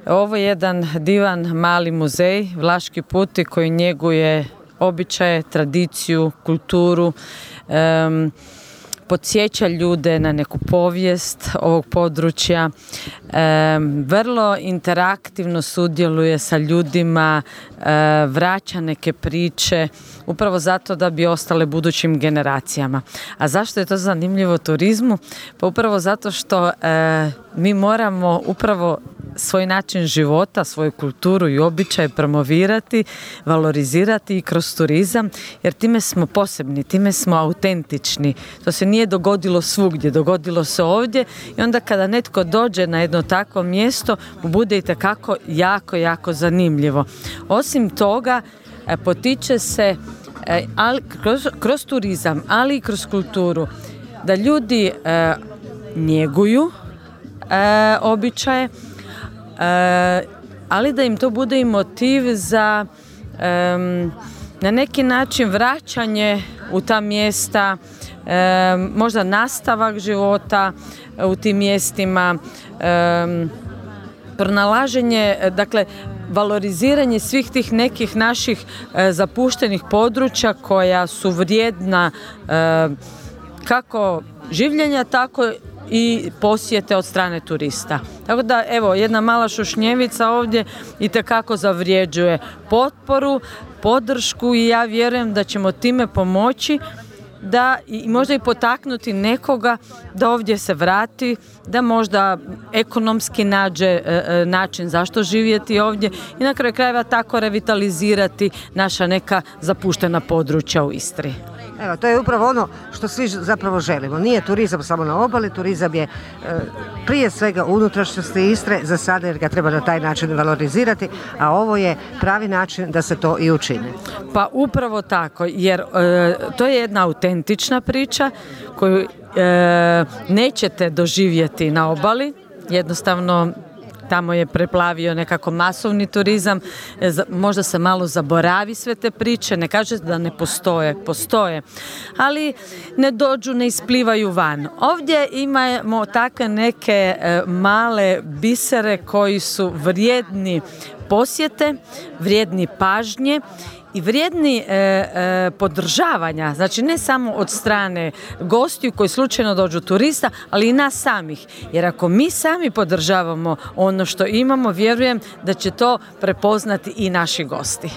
Ovo je jedan divan mali muzej, Vlaški puti, koji njeguje običaje, tradiciju, kulturu, podsjeća ljude na neku povijest ovog područja, vrlo interaktivno sudjeluje sa ljudima, vraća neke priče, upravo zato da bi ostale budućim generacijama. A zašto je to zanimljivo turizmu? Pa upravo zato što mi moramo upravo svoj način života, svoju kulturu i običaje promovirati, valorizirati i kroz turizam, jer time smo posebni, time smo autentični. To se nije dogodilo svugdje, dogodilo se ovdje i onda kada netko dođe na jedno takvo mjesto, bude itekako jako zanimljivo. Osim toga, potiče se kroz turizam, ali i kroz kulturu, da ljudi njeguju običaje, ali da im to bude i motiv za na neki način vraćanje u ta mjesta, možda nastavak života u tim mjestima, pronalaženje, dakle valoriziranje svih tih nekih naših zapuštenih područja koja su vrijedna kako življenja, tako i posjete od strane turista. Tako da, evo, jedna mala Šušnjevica ovdje itekako zavrijeđuje potporu, podršku i ja vjerujem da ćemo time pomoći da i možda i potaknuti nekoga da ovdje se vrati, da možda ekonomski nađe način zašto živjeti ovdje i na kraju krajeva tako revitalizirati naša neka zapuštena područja u Istri. Evo, to je upravo ono što svi zapravo želimo. Nije turizam samo na obali, turizam je prije svega unutrašnjosti Istre za sada, jer ga treba na taj način valorizirati, a ovo je pravi način da se to i učini. Pa upravo tako, jer to je jedna autentična priča koju nećete doživjeti na obali, jednostavno tamo je preplavio nekako masovni turizam, možda se malo zaboravi sve te priče, ne kaže da ne postoje, ali ne dođu, ne isplivaju van. Ovdje imamo takve neke male bisere koji su vrijedni posjete, vrijedni pažnje i vrijedni podržavanja, znači ne samo od strane gostiju koji slučajno dođu turista, ali i nas samih. Jer ako mi sami podržavamo ono što imamo, vjerujem da će to prepoznati i naši gosti.